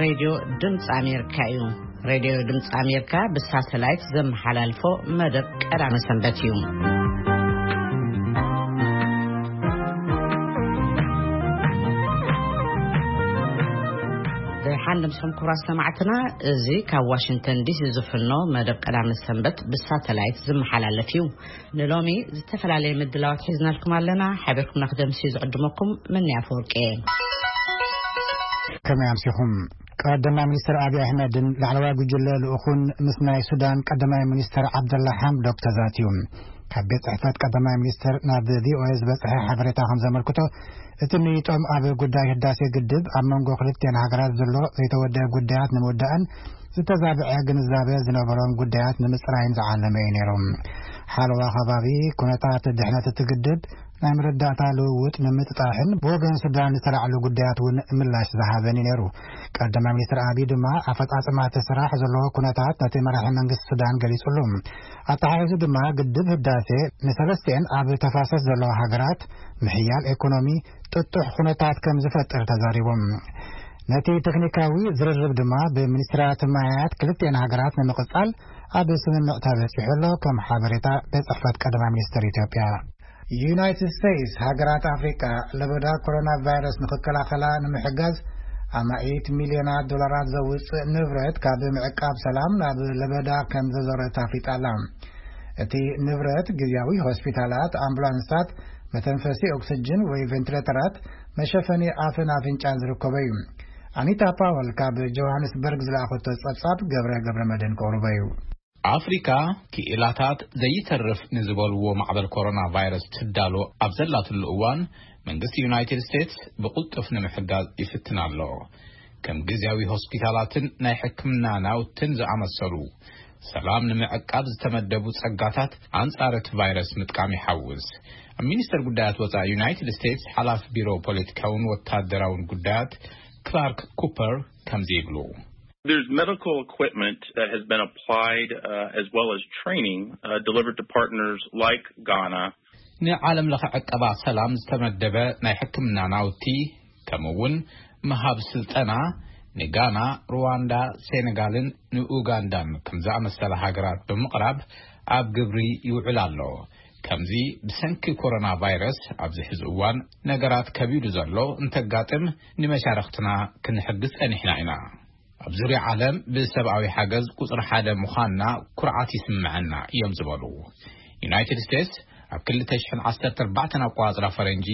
ሬድዮ ድምፂ ኣሜሪካ እዩ። ሬድዮ ድምፂ ኣሜሪካ ብሳተላይት ዘመሓላልፎ መደብ ቀዳመ ሰንበት እዩ። ደሓን ድምፅኹም ክቡራት ሰማዕትና፣ እዚ ካብ ዋሽንግተን ዲሲ ዝፍኖ መደብ ቀዳመ ሰንበት ብሳተላይት ዝመሓላለፍ እዩ። ንሎሚ ዝተፈላለየ ምድላዋት ሒዝናልኩም ኣለና። ሓቢርኩምና ክደምሲ ዝዕድመኩም መን ኣፈወርቂ እየ። ከመይ ኣምሲኹም? ቀዳማይ ሚኒስትር ኣብይ ኣሕመድን ላዕለዋይ ጉጅለ ልኡኹን ምስ ናይ ሱዳን ቀዳማይ ሚኒስትር ዓብደላ ሓምዶክ ተዛትዩ። ካብ ቤት ጽሕፈት ቀዳማይ ሚኒስትር ናብ ቪኦኤ ዝበጽሐ ሓበሬታ ከም ዘመልክቶ፣ እቲ ምይጦም ኣብ ጉዳይ ህዳሴ ግድብ ኣብ መንጎ ክልቲኣን ሃገራት ዘሎ ዘይተወደአ ጉዳያት ንምውዳእን ዝተዛብዐ ግንዛበ ዝነበሮም ጉዳያት ንምጽራይን ዝዓለመ እዩ ነይሩ። ሓለዋ ከባቢ፣ ኩነታት ድሕነት እቲ ግድብ፣ ናይ መረዳእታ ልውውጥ ንምጥጣሕን ብወገን ሱዳን ዝተላዕሉ ጉዳያት እውን ምላሽ ዝሃበን እዩ ነይሩ። ቀዳማይ ሚኒስትር ኣቢይ ድማ ኣፈጻጽማ እቲ ስራሕ ዘለዎ ኩነታት ነቲ መራሒ መንግስቲ ሱዳን ገሊጹሉ። ኣተሓሒዙ ድማ ግድብ ህዳሴ ንሰለስቲኤን ኣብ ተፋሰስ ዘለዋ ሃገራት ምሕያል ኢኮኖሚ ጥጡሕ ኩነታት ከም ዝፈጥር ተዛሪቦም። ነቲ ቴክኒካዊ ዝርርብ ድማ ብሚኒስትራት ማያት ክልቲኤን ሃገራት ንምቕጻል ኣብ ስምምዕ ተበጺሑ ኣሎ፣ ከም ሓበሬታ ቤት ጽሕፈት ቀዳማይ ሚኒስትር ኢትዮጵያ። ዩናይትድ ስቴትስ ሃገራት ኣፍሪቃ ለበዳ ኮሮና ቫይረስ ንኽከላኸላ ንምሕጋዝ ኣማኢት ሚልዮናት ዶላራት ዘውፅእ ንብረት ካብ ምዕቃብ ሰላም ናብ ለበዳ ከም ዘዞረት ኣፍሊጣ ኣላ። እቲ ንብረት ግዝያዊ ሆስፒታላት፣ ኣምቡላንሳት፣ መተንፈሲ ኦክስጅን ወይ ቬንቲሌተራት፣ መሸፈኒ ኣፍን ኣፍንጫን ዝርከቦ እዩ። ኣኒታ ፓወል ካብ ጆሃንስበርግ ዝለኣኸቶ ጸብጻብ ገብረ ገብረ መድህን ከቕርቦ እዩ። ኣፍሪካ ክኢላታት ዘይተርፍ ንዝበልዎ ማዕበል ኮሮና ቫይረስ ትዳሎ ኣብ ዘላትሉ እዋን፣ መንግስቲ ዩናይትድ ስቴትስ ብቕልጡፍ ንምሕጋዝ ይፍትን ኣሎ። ከም ግዝያዊ ሆስፒታላትን ናይ ሕክምና ናውትን ዝኣመሰሉ ሰላም ንምዕቃብ ዝተመደቡ ጸጋታት ኣንጻር እቲ ቫይረስ ምጥቃም ይሓውስ። ኣብ ሚኒስተር ጉዳያት ወጻኢ ዩናይትድ ስቴትስ ሓላፊ ቢሮ ፖለቲካውን ወታደራውን ጉዳያት ክላርክ ኩፐር ከምዚ ይብሉ። There's medical equipment that has been applied, uh, as well as training, uh, delivered to partners like Ghana. ንዓለም ለኸ ዕቀባ ሰላም ዝተመደበ ናይ ሕክምና ናውቲ፣ ከምኡ እውን ምሃብ ስልጠና ንጋና፣ ሩዋንዳ፣ ሴኔጋልን ንኡጋንዳን ከም ዝኣመሰላ ሃገራት ብምቕራብ ኣብ ግብሪ ይውዕል ኣሎ። ከምዚ ብሰንኪ ኮሮና ቫይረስ ኣብዚ ሕዚ እዋን ነገራት ከቢዱ ዘሎ እንተጋጥም፣ ንመሻርኽትና ክንሕግዝ ጸኒሕና ኢና። ኣብ ዙርያ ዓለም ብሰብኣዊ ሓገዝ ቁጽሪ ሓደ ምዃንና ኩርዓት ይስምዐና እዮም ዝበሉ። ዩናይትድ ስቴትስ ኣብ ክልተ ሽሕን ዓሰርተ ኣርባዕተን ኣቆጻጽራ ፈረንጂ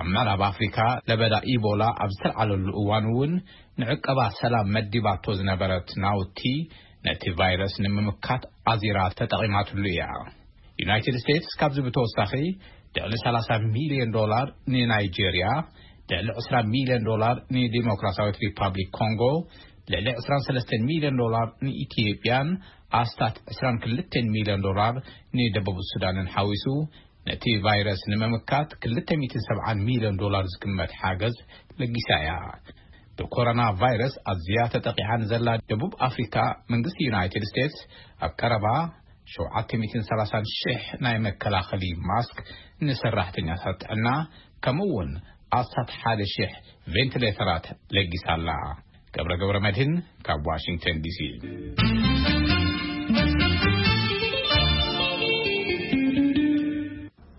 ኣብ ምዕራብ ኣፍሪካ ለበዳ ኢቦላ ኣብ ዝተልዓለሉ እዋን እውን ንዕቀባ ሰላም መዲባቶ ዝነበረት ናውቲ ነቲ ቫይረስ ንምምካት ኣዚራ ተጠቒማትሉ እያ። ዩናይትድ ስቴትስ ካብዚ ብተወሳኺ ልዕሊ ሰላሳ ሚልዮን ዶላር ንናይጄርያ፣ ልዕሊ ዕስራ ሚልዮን ዶላር ንዲሞክራሲያዊት ሪፓብሊክ ኮንጎ፣ ልዕሊ ዕስራን ሰለስተን ሚልዮን ዶላር ንኢትዮጵያን ኣስታት ዕስራን ክልተን ሚልዮን ዶላር ንደቡብ ሱዳንን ሓዊሱ ነቲ ቫይረስ ንምምካት ክልተ ሚእትን ሰብዓን ሚልዮን ዶላር ዝግመት ሓገዝ ለጊሳ እያ። ብኮሮና ቫይረስ ኣዝያ ተጠቂዓ ንዘላ ደቡብ ኣፍሪካ፣ መንግስቲ ዩናይትድ ስቴትስ ኣብ ቀረባ ሸውዓተ ሚእትን ሰላሳን ሽሕ ናይ መከላኸሊ ማስክ ንሰራሕተኛታት ጥዕና፣ ከምኡ እውን ኣስታት ሓደ ሽሕ ቬንቲሌተራት ለጊሳ ኣላ። ገብረ ገብረ መድህን ካብ ዋሽንግተን ዲሲ።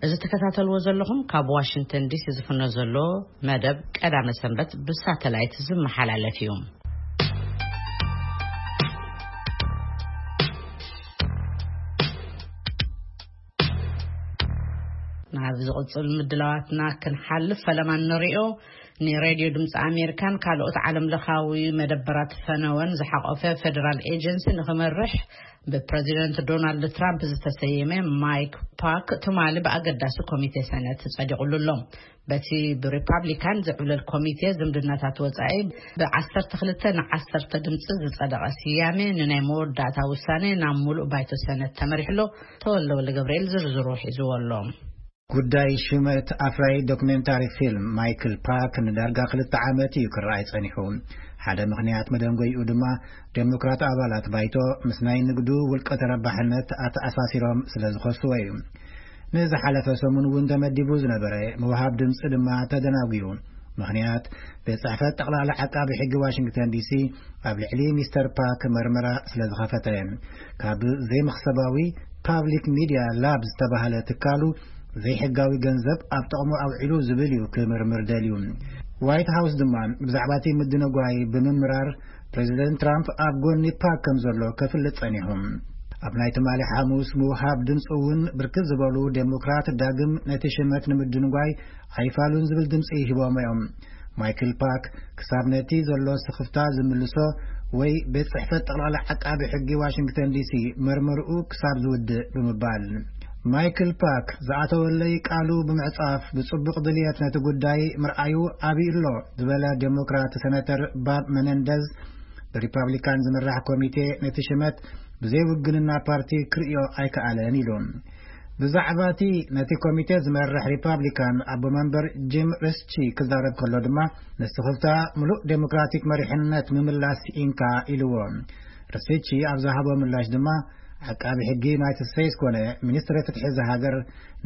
እዚ ትከታተልዎ ዘለኹም ካብ ዋሽንግተን ዲሲ ዝፍኖ ዘሎ መደብ ቀዳመ ሰንበት ብሳተላይት ዝመሓላለፍ እዩ። ናብ ዝቕጽል ምድላዋትና ክንሓልፍ፣ ፈለማ ንሪኦ። ንሬድዮ ድምፂ ኣሜሪካን ካልኦት ዓለም ለኻዊ መደበራት ፈነወን ዝሓቖፈ ፌደራል ኤጀንሲ ንኽመርሕ ብፕረዚደንት ዶናልድ ትራምፕ ዝተሰየመ ማይክ ፓክ ትማሊ ብኣገዳሲ ኮሚቴ ሰነት ጸዲቑሉ ኣሎ። በቲ ብሪፓብሊካን ዝዕብለል ኮሚቴ ዝምድናታት ወጻኢ ብዓሰርተ ክልተ ንዓሰርተ ድምፂ ዝጸደቐ ስያሜ ንናይ መወዳእታ ውሳኔ ናብ ሙሉእ ባይቶ ሰነት ተመሪሕሎ። ተወልደ ወልደ ገብርኤል ዝርዝሩ ሒዝዎ ኣሎ። ጉዳይ ሽመት ኣፍራይ ዶክሜንታሪ ፊልም ማይክል ፓክ ንዳርጋ ክልተ ዓመት እዩ ክረኣይ ጸኒሑ። ሓደ ምኽንያት መደንጎይኡ ድማ ዴሞክራት ኣባላት ባይቶ ምስ ናይ ንግዱ ውልቀ ተረባሕነት ኣተኣሳሲሮም ስለ ዝኸስዎ እዩ። ንዝሓለፈ ሰሙን እውን ተመዲቡ ዝነበረ ምውሃብ ድምፂ ድማ ተደናጒዩ። ምኽንያት፣ ቤት ጽሕፈት ጠቕላላ ዓቃቢ ሕጊ ዋሽንግተን ዲሲ ኣብ ልዕሊ ሚስተር ፓክ መርመራ ስለ ዝኸፈተ፣ ካብ ዘይመኽሰባዊ ፓብሊክ ሚድያ ላብ ዝተባህለ ትካሉ ዘይሕጋዊ ገንዘብ ኣብ ጥቕሙ ኣውዒሉ ዝብል እዩ ክምርምር ደልዩ። ዋይት ሃውስ ድማ ብዛዕባ እቲ ምድንጓይ ብምምራር፣ ፕሬዚደንት ትራምፕ ኣብ ጎኒ ፓክ ከም ዘሎ ከፍልጥ ጸኒሑ። ኣብ ናይ ትማሊ ሓሙስ ምውሃብ ድምፂ እውን ብርክት ዝበሉ ዴሞክራት ዳግም ነቲ ሽመት ንምድንጓይ ኣይፋሉን ዝብል ድምፂ ሂቦም እዮም። ማይክል ፓክ ክሳብ ነቲ ዘሎ ስኽፍታ ዝምልሶ ወይ ቤት ጽሕፈት ጠቕላላ ዓቃቢ ሕጊ ዋሽንግተን ዲሲ መርመርኡ ክሳብ ዝውድእ ብምባል። ማይክል ፓክ ዝኣተወለይ ቃሉ ብምዕጻፍ ብጽቡቕ ድልየት ነቲ ጉዳይ ምርኣዩ ኣብዩ ኣሎ ዝበለ ዴሞክራት ሰነተር ባብ መነንደዝ፣ ብሪፓብሊካን ዝምራሕ ኮሚቴ ነቲ ሽመት ብዘይ ውግንና ፓርቲ ክርእዮ ኣይከኣለን ኢሉ። ብዛዕባ እቲ ነቲ ኮሚቴ ዝመርሕ ሪፓብሊካን ኣቦ መንበር ጂም ሪስቺ ክዛረብ ከሎ ድማ፣ ንስኽፍታ ምሉእ ዴሞክራቲክ መሪሕነት ምምላስ ኢንካ ኢልዎ። ሪስቺ ኣብ ዝሃቦ ምላሽ ድማ፣ ዓቃቢ ሕጊ ዩናይትድ ስቴትስ ኮነ ሚኒስትሪ ፍትሒ እዛ ሃገር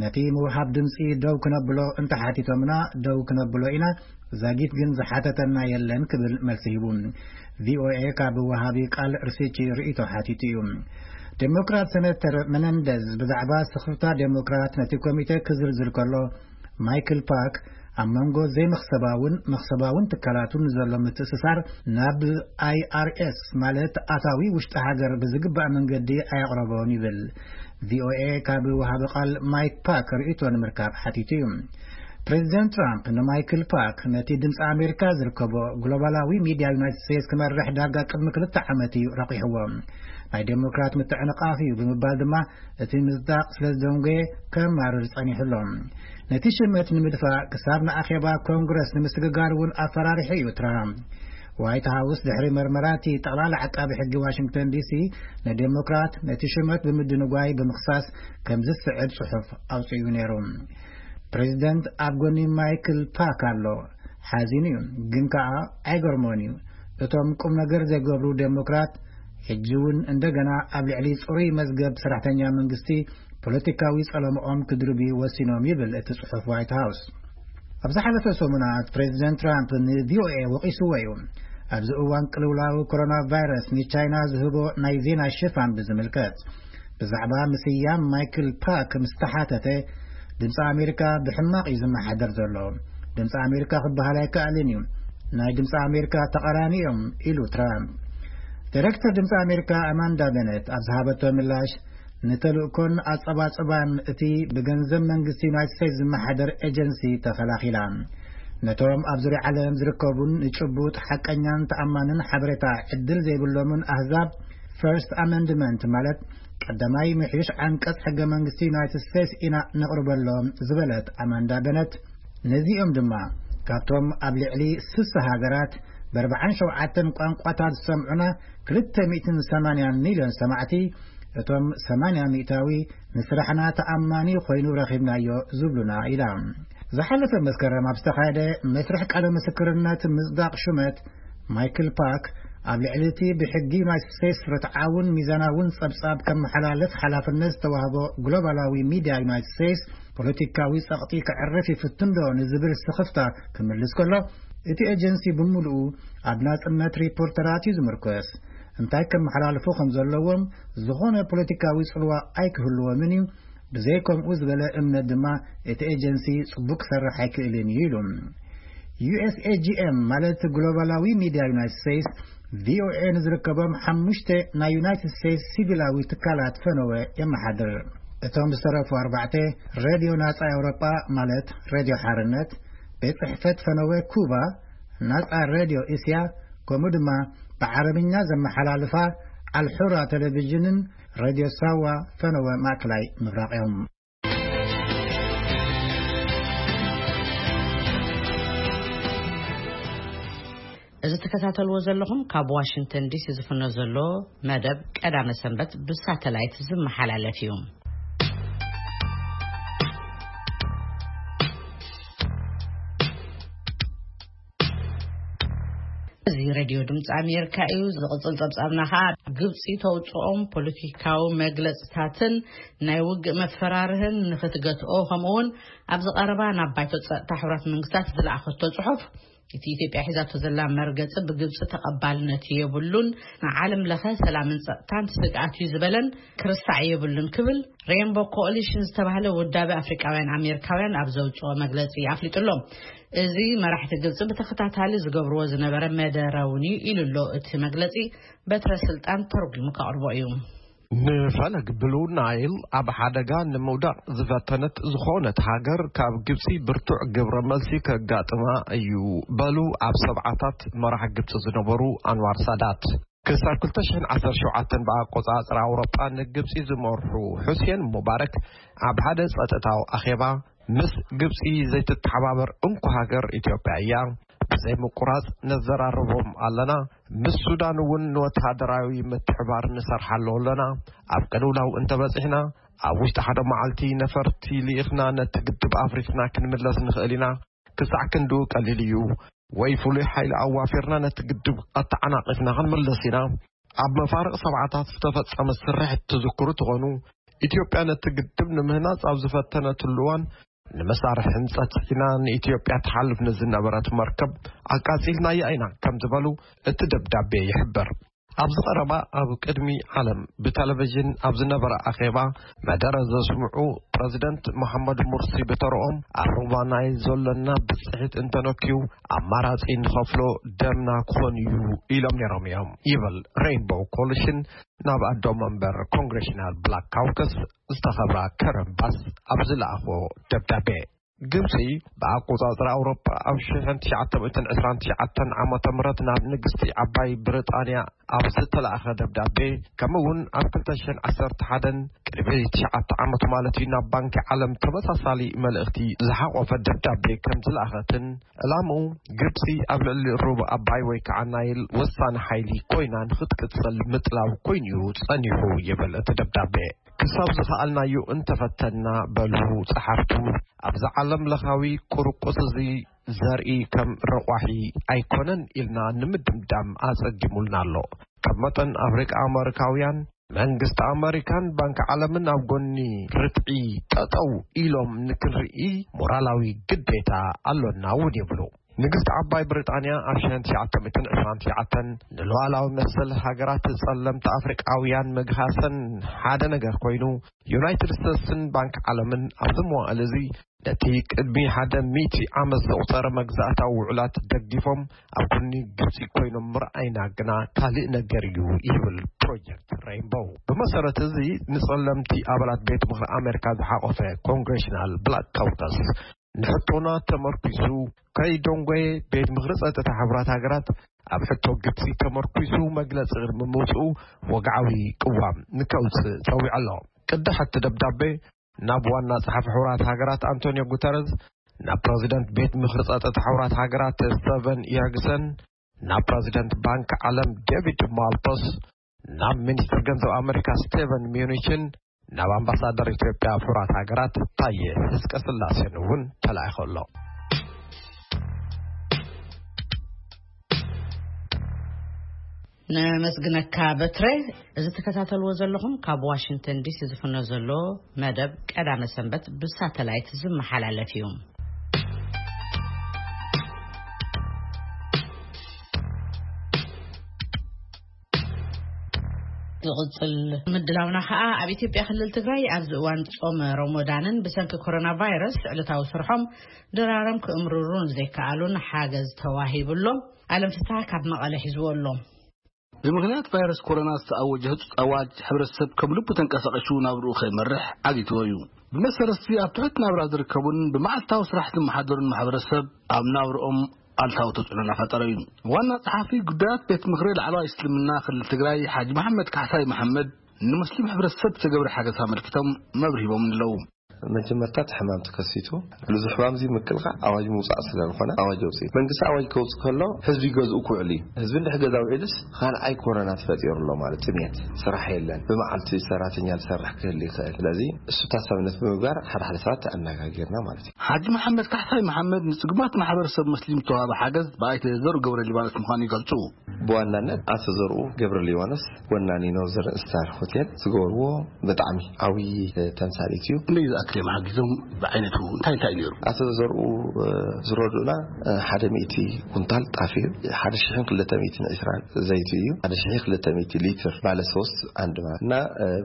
ነቲ ምውሃብ ድምፂ ደው ክነብሎ እንተሓቲቶምና ደው ክነብሎ ኢና፣ ዛጊት ግን ዝሓተተና የለን ክብል መልሲ ሂቡ። ቪኦኤ ካብ ወሃቢ ቃል ሪስቺ ርእይቶ ሓቲቱ እዩ። ዴሞክራት ሰነተር መነንደዝ ብዛዕባ ስኽፍታ ዴሞክራት ነቲ ኮሚቴ ክዝርዝር ከሎ፣ ማይክል ፓክ ኣብ መንጎ ዘይመኽሰባውን መኽሰባውን ትካላቱን ዘሎ ምትእስሳር ናብ ኣይኣርኤስ፣ ማለት ኣታዊ ውሽጢ ሃገር፣ ብዝግባእ መንገዲ ኣየቕረቦን ይብል። ቪኦኤ ካብ ወሃቢ ቃል ማይክ ፓክ ርእይቶ ንምርካብ ሓቲቱ እዩ። ፕሬዚደንት ትራምፕ ንማይክል ፓክ ነቲ ድምፂ ኣሜሪካ ዝርከቦ ግሎባላዊ ሚድያ ዩናይትድ ስቴትስ ክመርሕ ዳርጋ ቅድሚ ክልተ ዓመት እዩ ረቂሕዎ። ናይ ዴሞክራት ምትዕንቓፍ እዩ ብምባል ድማ እቲ ምጽዳቕ ስለ ዝደንጎየ ከማርር ጸኒሑ ኣሎ። ነቲ ሽመት ንምድፋእ ክሳብ ንኣኼባ ኮንግረስ ንምስግጋር እውን ኣፈራሪሑ እዩ ትራምፕ። ዋይት ሃውስ ድሕሪ መርመራ እቲ ጠቕላላ ዓቃቢ ሕጊ ዋሽንግተን ዲሲ ንዴሞክራት ነቲ ሽመት ብምድንጓይ ብምኽሳስ ከም ዝስዕብ ጽሑፍ ኣውጺኡ ነይሩ። ፕሬዚደንት ኣብ ጎኒ ማይክል ፓክ ኣሎ። ሓዚኑ እዩ፣ ግን ከኣ ኣይገርሞን እዩ። እቶም ቁም ነገር ዘይገብሩ ዴሞክራት ሕጂ እውን እንደገና ኣብ ልዕሊ ጽሩይ መዝገብ ሰራሕተኛ መንግስቲ ፖለቲካዊ ጸለምኦም ክድርብዩ ወሲኖም ይብል እቲ ጽሑፍ ዋይት ሃውስ። ኣብ ዝሓለፈ ሰሙናት ፕሬዚደንት ትራምፕ ንቪኦኤ ወቒስዎ እዩ። ኣብዚ እዋን ቅልውላው ኮሮና ቫይረስ ንቻይና ዝህቦ ናይ ዜና ሽፋን ብዝምልከት፣ ብዛዕባ ምስያም ማይክል ፓክ ምስ ተሓተተ፣ ድምፂ ኣሜሪካ ብሕማቕ እዩ ዝመሓደር ዘሎ። ድምፂ ኣሜሪካ ክበሃል ኣይከኣልን እዩ። ናይ ድምፂ ኣሜሪካ ተቓራኒ እዮም ኢሉ ትራምፕ። ዳይሬክተር ድምፂ ኣሜሪካ ኣማንዳ በነት ኣብ ዝሃበቶ ምላሽ፣ ንተልእኮን ኣጸባጽባን እቲ ብገንዘብ መንግስቲ ዩናይትድ ስቴትስ ዝመሓደር ኤጀንሲ ተኸላኺላ። ነቶም ኣብ ዙርያ ዓለም ዝርከቡን ንጭቡጥ ሓቀኛን ተኣማንን ሓበሬታ ዕድል ዘይብሎምን ኣህዛብ፣ ፈርስት ኣመንድመንት፣ ማለት ቀዳማይ ምሕዩሽ ዓንቀጽ ሕገ መንግስቲ ዩናይትድ ስቴትስ ኢና ነቕርበሎም ዝበለት ኣማንዳ በነት፣ ነዚኦም ድማ ካብቶም ኣብ ልዕሊ ስሳ ሃገራት ብ ኣርባዓን ሸውዓተን ቋንቋታት ዝሰምዑና ክልተ ሚእትን ሰማንያን ሚልዮን ሰማዕቲ፣ እቶም ሰማንያ ሚእታዊ ንስራሕና ተኣማኒ ኮይኑ ረኺብናዮ ዝብሉና ኢላ። ዝሓለፈ መስከረም ኣብ ዝተኻየደ መስርሕ ቃለ ምስክርነት ምጽዳቕ ሹመት፣ ማይክል ፓክ ኣብ ልዕሊ እቲ ብሕጊ ዩናይትድ ስቴትስ ርትዓውን ሚዛናውን ጸብጻብ ከመሓላልፍ ሓላፍነት ዝተዋህቦ ግሎባላዊ ሚድያ ዩናይትድ ስቴትስ ፖለቲካዊ ጸቕጢ ከዕርፍ ይፍትን ዶ ንዝብል ስኽፍታ ክምልስ ከሎ፣ እቲ ኤጀንሲ ብምሉኡ ኣብ ናጽነት ሪፖርተራት እዩ ዝምርኮስ። እንታይ ከመሓላልፉ ከም ዘለዎም ዝኾነ ፖለቲካዊ ጽልዋ ኣይክህልዎምን እዩ። ብዘይ ከምኡ ዝበለ እምነት ድማ እቲ ኤጀንሲ ጽቡቕ ክሰርሕ ኣይክእልን እዩ ኢሉ። ዩ ኤስ ኤ ጂ ኤም ማለት ግሎባላዊ ሚድያ ዩናይትድ ስቴትስ፣ ቪ ኦ ኤ ንዝርከቦም ሓሙሽተ ናይ ዩናይትድ ስቴትስ ሲቪላዊ ትካላት ፈነወ የመሓድር። እቶም ዝተረፉ ኣርባዕተ፣ ሬድዮ ናጻ ኤውሮጳ ማለት ሬድዮ ሓርነት፣ ቤት ጽሕፈት ፈነወ ኩባ፣ ናጻ ሬድዮ እስያ፣ ከምኡ ድማ ብዓረብኛ ዘመሓላልፋ ኣልሑራ ቴሌቪዥንን ሬድዮ ሳዋ ፈነወ ማእከላይ ምብራቕ እዮም። እዚ ትከታተልዎ ዘለኹም ካብ ዋሽንግተን ዲሲ ዝፍኖ ዘሎ መደብ ቀዳመ ሰንበት ብሳተላይት ዝመሓላለፍ እዩ። እዚ ሬድዮ ድምፂ ኣሜሪካ እዩ። ዝቕፅል ፀብፃብና ከዓ ግብፂ ተውፅኦም ፖለቲካዊ መግለፅታትን ናይ ውግእ መፈራርህን ንክትገትኦ፣ ከምኡውን ኣብዚ ቀረባ ናብ ባይቶ ፀጥታ ሕቡራት መንግስታት ዝለኣኸቶ ፅሑፍ፣ እቲ ኢትዮጵያ ሒዛቶ ዘላ መርገፂ ብግብፂ ተቐባልነት የብሉን፣ ንዓለም ለኸ ሰላምን ፀጥታን ስግኣት እዩ ዝበለን ክርሳዕ የብሉን ክብል ሬንቦ ኮኦሊሽን ዝተባህለ ውዳቤ ኣፍሪቃውያን ኣሜሪካውያን ኣብ ዘውፅኦ መግለፂ ኣፍሊጡ ኣሎ። እዚ መራሕቲ ግብፂ ብተኸታታሊ ዝገብርዎ ዝነበረ መደረ እውን እዩ ኢሉ ኣሎ። እቲ መግለፂ በትረ ስልጣን ተርጉሙ ከቕርቦ እዩ። ንፈለግ ብሉ ናይል ኣብ ሓደጋ ንምውዳቕ ዝፈተነት ዝኾነት ሃገር ካብ ግብፂ ብርቱዕ ግብረ መልሲ ከጋጥማ እዩ በሉ ኣብ ሰብዓታት መራሕ ግብፂ ዝነበሩ ኣንዋር ሳዳት። ክሳብ ክልተ ሽሕን ዓሰርተ ሸውዓተን ብኣቆፃፅራ ኣውሮጳ ንግብፂ ዝመርሑ ሑሴን ሙባረክ ኣብ ሓደ ጸጥታዊ ኣኼባ፣ ምስ ግብፂ ዘይትተሓባበር እንኮ ሃገር ኢትዮጵያ እያ፣ ብዘይ ምቁራፅ ነዘራርቦም ኣለና፣ ምስ ሱዳን እውን ንወተሃደራዊ ምትሕባር ንሰርሓሉ ኣለና፣ ኣብ ቅልውላው እንተበፂሕና ኣብ ውሽጢ ሓደ መዓልቲ ነፈርቲ ልኢኽና ነቲ ግድብ ኣፍሪስና ክንምለስ ንኽእል ኢና። ክሳዕ ክንድኡ ቀሊል እዩ። ወይ ፍሉይ ሓይሊ ኣዋፊርና ነቲ ግድብ ኣተዓናቒፍና ክንምለስ ኢና። ኣብ መፋርቕ ሰብዓታት ዝተፈጸመ ስርሒት ትዝክሩ ትኾኑ፣ ኢትዮጵያ ነቲ ግድብ ንምህናጽ ኣብ ዝፈተነትሉ እዋን፣ ንመሳርሒ ህንጸት ጽዒና ንኢትዮጵያ ትሓልፍ ንዝነበረት መርከብ ኣቃጺልናያ ኢና ከም ዝበሉ እቲ ደብዳቤ ይሕብር። ኣብዚ ቀረባ ኣብ ቅድሚ ዓለም ብቴሌቪዥን ኣብ ዝነበረ ኣኼባ መደረ ዘስምዑ ፕረዚደንት መሓመድ ሙርሲ ብተረኦም፣ ኣብ ሩባ ናይል ዘሎና ብጽሒት እንተነክዩ ኣማራጺ ንኸፍሎ ደምና ክኾን እዩ ኢሎም ነይሮም እዮም ይብል ሬይንቦው ኮሊሽን ናብ ኣዶ መንበር ኮንግሬሽናል ብላክ ካውከስ ዝተኸብራ ከረን ባስ ኣብ ዝለኣኾ ደብዳቤ። ግብጺ ብኣቆጻጽራ ኣውሮጳ ኣብ ሽሕን ትሽዓተ ሚእትን ዕስራን ትሽዓተን ዓመተ ምህረት ናብ ንግስቲ ዓባይ ብሪጣንያ ኣብ ዝተላእኸ ደብዳቤ፣ ከምኡ እውን ኣብ ክልተ ሽሕን ዓሰርተ ሓደን ቅድሚ ትሽዓተ ዓመት ማለት እዩ ናብ ባንኪ ዓለም ተመሳሳሊ መልእኽቲ ዝሓቖፈ ደብዳቤ ከም ዝለኣኸትን፣ ዕላምኡ ግብጺ ኣብ ልዕሊ ሩብ ኣባይ ወይ ከዓ ናይል ወሳኒ ሓይሊ ኮይና ንኽትቅጽል ምጥላው ኮይኑ እዩ ጸኒሑ ይብል እቲ ደብዳቤ። ክሳብ ዝኸኣልናዮ እንተፈተንና በሉ ጸሓፍቱ፣ ኣብዚ ዓለም ለኻዊ ቁርቁስ እዚ ዘርኢ ከም ረቋሒ ኣይኮነን ኢልና ንምድምዳም ኣጸጊሙልና ኣሎ። ከም መጠን ኣፍሪቃ ኣመሪካውያን፣ መንግስቲ ኣመሪካን ባንኪ ዓለምን ኣብ ጎኒ ርትዒ ጠጠው ኢሎም ንክንርኢ ሞራላዊ ግዴታ ኣሎና እውን ይብሉ። ንግስቲ ዓባይ ብሪጣንያ ኣብ ሽሕን ትሽዓተ ሚእትን ዕስራን ትሽዓተን ንሉዓላዊ መሰል ሃገራት ጸለምቲ ኣፍሪቃውያን ምግሃሰን ሓደ ነገር ኮይኑ፣ ዩናይትድ ስቴትስን ባንኪ ዓለምን ኣብዚ መዋእል እዚ ነቲ ቅድሚ ሓደ ሚእቲ ዓመት ዘቑጸረ መግዛእታዊ ውዕላት ደጊፎም ኣብ ጎኒ ግብጺ ኮይኖም ምርኣይና ግና ካልእ ነገር እዩ ይብል ፕሮጀክት ሬይንቦው። ብመሰረት እዚ ንጸለምቲ ኣባላት ቤት ምኽሪ ኣሜሪካ ዝሓቖፈ ኮንግሬሽናል ብላክ ካውከስ ንሕቶና ተመርኩሱ ከይደንጎየ ቤት ምኽሪ ጸጥታ ሕቡራት ሃገራት ኣብ ሕቶ ግብጺ ተመርኩሱ መግለጺ ቅድሚ ምውጽኡ ወግዓዊ ቅዋም ንከውጽእ ጸዊዑ ኣሎ። ቅዳሕ እቲ ደብዳቤ ናብ ዋና ጸሓፊ ሕቡራት ሃገራት ኣንቶኒዮ ጉተረዝ፣ ናብ ፕረዚደንት ቤት ምኽሪ ጸጥታ ሕቡራት ሃገራት ስቴቨን ኢርግሰን፣ ናብ ፕረዚደንት ባንክ ዓለም ዴቪድ ማልፓስ፣ ናብ ሚኒስትር ገንዘብ ኣመሪካ ስቴቨን ሚዩኒችን፣ ናብ ኣምባሳደር ኢትዮጵያ ኣብ ሕቡራት ሃገራት ታየ ህዝቀ ስላሴን እውን ተላኢኹ ኣሎ። ነመስግነካ በትረ። እዚ ትከታተልዎ ዘለኹም ካብ ዋሽንግተን ዲሲ ዝፍኖ ዘሎ መደብ ቀዳመ ሰንበት ብሳተላይት ዝመሓላለፍ እዩ። ዝቕጽል ምድላውና ኸኣ ኣብ ኢትዮጵያ ክልል ትግራይ ኣብዚ እዋን ጾም ሮሞዳንን ብሰንኪ ኮሮና ቫይረስ ዕለታዊ ስርሖም ድራሮም ክእምርሩን ዘይከኣሉን ሓገዝ ተዋሂብሎም። ኣለም ፍስሓ ካብ መቐለ ሒዝዎ ኣሎ። ብምኽንያት ቫይረስ ኮሮና ዝተኣወጀ ህጹጽ ኣዋጅ፣ ሕብረተሰብ ከም ልቡ ተንቀሳቒሱ ናብርኡ ከይመርሕ ዓጊትዎ እዩ። ብመሰረት እዚ፣ ኣብ ትሑት ናብራ ዝርከቡን ብመዓልታዊ ስራሕ ዝመሓደሩን ማሕበረሰብ ኣብ ናብርኦም ኣሉታዊ ተጽዕኖ እናፈጠረ እዩ። ዋና ጸሓፊ ጉዳያት ቤት ምኽሪ ላዕለዋይ እስልምና ክልል ትግራይ ሓጂ መሓመድ ካሕሳይ መሓመድ፣ ንሙስሊም ሕብረተሰብ ዝተገብረ ሓገዝ ኣመልኪቶም መብርሂ ሂቦም ኣለዉ። መጀመርታ እቲ ሕማም ተከሲቱ፣ ነዚ ሕማም እዚ ምክልኻል ኣዋጅ ምውፃእ ስለ ዝኾነ ኣዋጅ ኣውፅኡ። መንግስቲ ኣዋጅ ከውፅእ ከሎ ህዝቢ ገዝኡ ክውዕል እዩ። ህዝቢ እንድሕር ገዛ ውዒሉስ ካልኣይ ኮሮና ተፈጢሩ ኣሎ ማለት፣ ጥሜት፣ ስራሕ የለን፣ ብመዓልቲ ሰራተኛ ዝሰርሕ ክህል ይኽእል። ስለዚ እሱ ታሳብነት ብምግባር ሓደ ሓደ ሰባት ኣነጋጊርና ማለት እዩ። ሓጂ መሓመድ ካሕሳይ መሓመድ ንጽጉማት ማሕበረሰብ ሙስሊም ዝተዋህበ ሓገዝ ብኣይተ ዘርኡ ገብረ ሊባኖስ ምዃኑ ይገልጹ። ብዋናነት ኣቶ ዘርኡ ገብረ ሊባኖስ ወናኒ ኖርዘርን ስታር ሆቴል ዝገበርዎ ብጣዕሚ ዓብዪ ተምሳሌት እዩ። ክንደይ ዝኣክል እዮም ሓጊዞም? ብዓይነቱ እንታይ እንታይ ነይሩ? ኣቶ ዘርኡ ዝረድኡና ሓደ ሚእቲ ኩንታል ጣፍ እዩ፣ ሓደ ሽሕን ክልተ ሚእትን ዕስራን ዘይቲ እዩ፣ ሓደ ሽሕን ክልተ ሚእቲ ሊትር ባለ ሶስት ኣንድ ማለት እና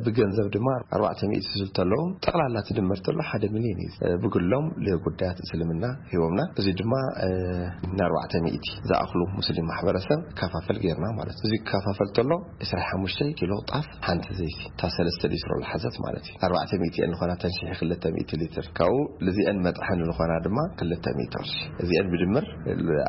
ብገንዘብ ድማ ኣርባዕተ ሚእቲ ዝብሉ ኣለዎም። ጠቕላላ ትድምር ተሎ ሓደ ሚልዮን እዩ። ብግሎም ለጉዳያት እስልምና ሂቦምና። እዚ ድማ ንኣርባዕተ ሚእቲ ዝኣኽሉ ሙስሊም ማሕበረሰብ ከፋፈል ጌርና ማለት እዩ። እዚ ከፋፈል ተሎ ዕስራን ሓሙሽተን ኪሎ ጣፍ፣ ሓንቲ ዘይቲ፣ እታ ሰለስተ ሊትሮ ዝሓዘት ማለት እዩ። ኣርባዕተ ሚእቲ እየን ዝኾና፣ እተን ሽሕ ክልተ ሚእቲ ሊትር። ካብኡ ልዚአን መጥሐኒ ዝኾና ድማ ክልተ ሚእቲ ቅርሺ። እዚአን ብድምር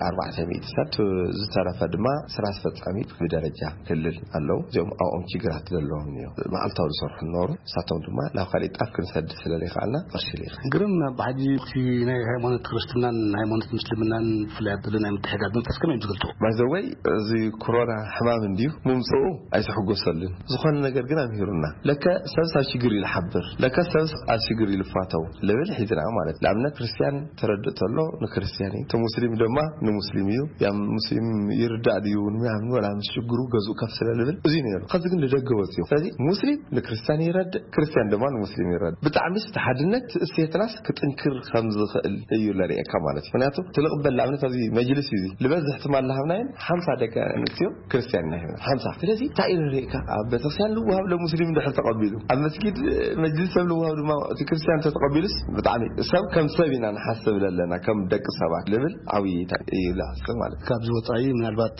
ኣርባዕተ ሚእቲ ሰብ፣ ዝተረፈ ድማ ስራ ኣስፈጻሚ ብደረጃ ክልል ኣለዉ። እዚኦም ኣብኦም ችግራት ዘለዎም እዮም። መዓልታዊ ዝሰርሑ ነበሩ። ንሳቶም ድማ ናብ ካሊእ ጣፍ ክንሰድ ስለ ዘይከኣልና ቅርሺ ልኢኻ። ግርም፣ ኣብ ሓጂ እቲ ናይ ሃይማኖት ክርስትናን ሃይማኖት ምስልምናን ፍላይ ኣብዘሎ ናይ ምትሕጋዝ መንፈስ ከመይ እዮም ዝገልጽዎ? ባይዘወይ፣ እዚ ኮሮና ሕማም እንድዩ፣ ምምፅኡ ኣይትሕጎሰሉን። ዝኾነ ነገር ግን ኣምሂሩና። ለከ ሰብስ ኣብ ሽግር እዩ ዝሓብር፣ ለከ ሰብስ ኣብ ሽግር እዩ ዝፋተው ልብል ሒዝና ማለት። ንኣብነት ክርስትያን ተረድእ ተሎ ንክርስትያን እዩ፣ እቲ ሙስሊም ድማ ንሙስሊም እዩ። ያ ሙስሊም ይርዳእ ድዩ ንምናምን ወላ ምስ ሽግሩ ገዝኡ ከፍ ስለ ልብል እዚ ነይሩ። ከዚ ግን ንደገ ወፅዩ። ስለዚ ሙስሊም ንክርስትያን ይረድእ፣ ክርስትያን ድማ ንሙስሊም ይረድእ። ብጣዕሚ እቲ ሓድነት እሴትናስ ክጥንክር ከም ዝኽእል እዩ ለርእየካ ማለት እዩ። ምክንያቱ ትልቕበል ንኣብነት ኣብዚ መጅልስ እዩ፣ ዝበዝሕ ትማል ሃብናየን ሓምሳ ደቂ ኣንስትዮ ክርስትያን ኢና ሂብና። ሓምሳ። ስለዚ እንታይ እዩ ንርእየካ? ኣብ ቤተክርስትያን ልወሃብ ለሙስሊም እንድሕር ተቐቢሉ፣ ኣብ መስጊድ መጅልስ ሰብ ልወሃብ ድማ እቲ ክርስትያን ተተቐቢሉስ ብጣዕሚ ሰብ ከም ሰብ ኢና ንሓስብ ለለና ከም ደቂ ሰባት ልብል ዓብዪ እዩ ለዓስከ ማለት እዩ። ካብዚ ወፃኢ ምናልባት